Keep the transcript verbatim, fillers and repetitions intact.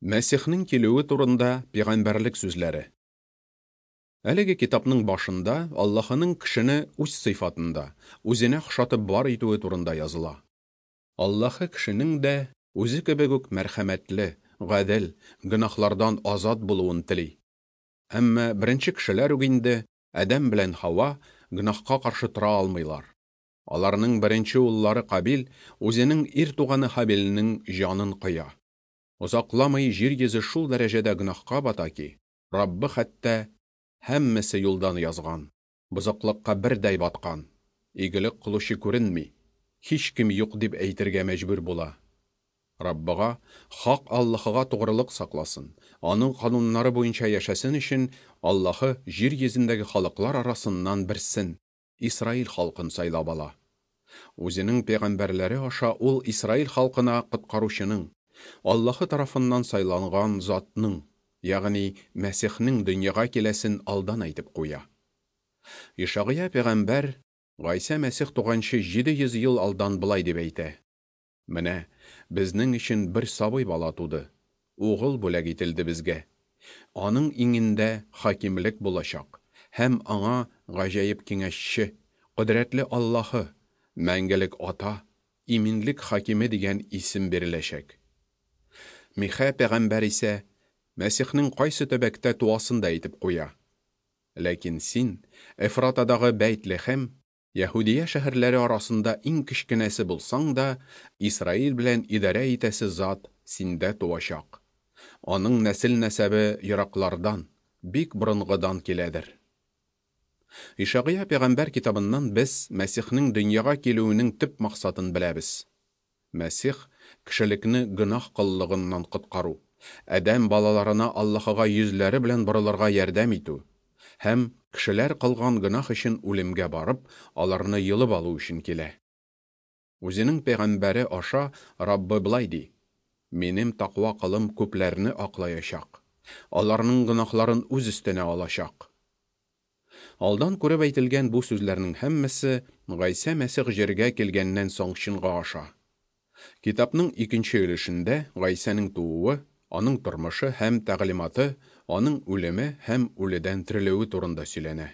Мәсихнең килүе турында пәйгамбәрлек сүзләре. Әлеге китапның башында Аллаһының кешене үз сыйфатында, үзенә охшатып бар итүе турында языла. Аллаһы кешенең дә үзе кебек үк мәрхәмәтле, гадел, гөнаһлардан азат булуын тели. Әмма беренче кешеләр үк инде Адәм белән Һава гөнаһка каршы тора алмыйлар. Аларның беренче уллары Кабил үзенең ир туганы Һабилнең җанын кыя. Озакламый җир йөзе шул дәрәҗәдә гөнаһка бата ки, Раббы хәтта һәммәсе юлдан язган, бозыклыкка бердәй баткан, игелек кылучы күренми, һичкем юк дип әйтергә мәҗбүр була. Раббыга, хак Аллаһыга тугрылык сакласын, аның кануннары буенча яшәсен өчен Аллаһы җир йөзендәге халыклар арасыннан берсен, Исраил халкын сайлап ала. Үзенең пәйгамбәрләре аша ул Исраил халкына коткаручының, Аллаһы тарафыннан сайланган затның, ягъни Мәсихнең дөньяга киләсен алдан әйтеп куя. Ишагыя пәйгамбәр Гайсә Мәсих туганчы җиде йөз ел алдан былай дип әйтә: Менә безнең өчен бер сабый бала туды, угыл бүләк ителде безгә. Аның иңендә хакимлек булачак, һәм аңа гаҗәеп киңәшче, кодрәтле Аллаһы, мәңгелек ата, иминлек хакиме дигән исем биреләчәк. Михә пәйгамбәр исә Мәсихнең кайсы төбәктә туасын да әйтеп куя. Ләкин син, Эфратадагы Бәйт-Лехем, Яһүдия шәһәрләре арасында иң кечкенәсе булсаң да, Исраил белән идарә итәсе зат синдә туачак. Аның нәсел-нәсәбе ераклардан, бик борынгыдан киләдер. Ишагыя пәйгамбәр китабыннан без Мәсихнең дөньяга килүенең төп максатын беләбез. Мәсих кешелекне гөнаһ коллыгыннан коткару, Адәм балаларына Аллаһыга йөзләре белән борылырга ярдәм итү һәм кешеләр кылган гөнаһ өчен үлемгә барып, аларны йолып алу өчен килә. Үзенең пәйгамбәре аша Раббы былай ди: Минем тәкъва кылым күпләрне аклаячак, аларның гөнаһларын үз өстенә алачак. Алдан күреп әйтелгән бу сүзләрнең һәммәсе Гайсә Мәсих җиргә килгәннән соң чынга аша. Китапның икенче өлешендә Гайсәнең тууы, аның тормышы һәм тәгълиматы, аның үлеме һәм үледән терелүе турында сөйләнә.